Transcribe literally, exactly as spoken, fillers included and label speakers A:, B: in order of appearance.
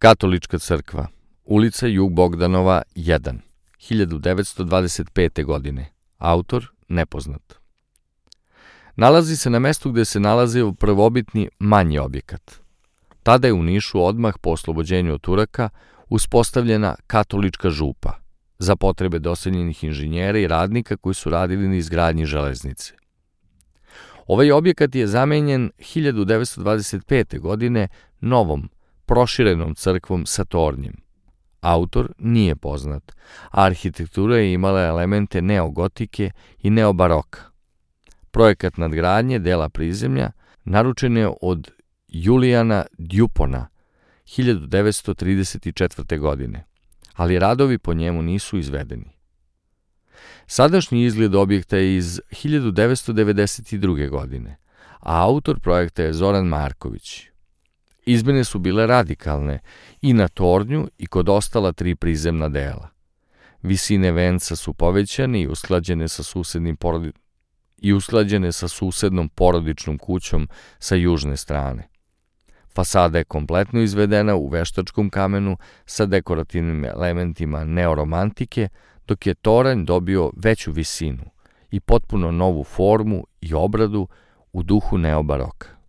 A: Katolička crkva, ulica Jug Bogdanova jedan, hiljadu devetsto dvadeset pete. godine. Autor nepoznat. Nalazi se na mestu gde se nalazio prvobitni manji objekat. Tada je u Nišu odmah po oslobođenju od Turaka uspostavljena katolička župa za potrebe doseljenih inženjera i radnika koji su radili na izgradnji železnice. Ovaj objekat je zamenjen hiljadu devetsto dvadeset pete. godine novom, proširenom crkvom sa tornjem. Autor nije poznat, a arhitektura je imala elemente neogotike i neobaroka. Projekat nadgradnje dela prizemlja naručen je od Julijana Djupona hiljadu devetsto trideset četvrte. godine, ali radovi po njemu nisu izvedeni. Sadašnji izgled objekta je iz hiljadu devetsto devedeset druge. godine, a autor projekta je Zoran Marković. Izmene su bile radikalne i na tornju i kod ostala tri prizemna dela. Visine venca su povećane i usklađene sa susednim porodi... i usklađene sa susednom porodičnom kućom sa južne strane. Fasada je kompletno izvedena u veštačkom kamenu sa dekorativnim elementima neoromantike, dok je toranj dobio veću visinu i potpuno novu formu i obradu u duhu neobaroka.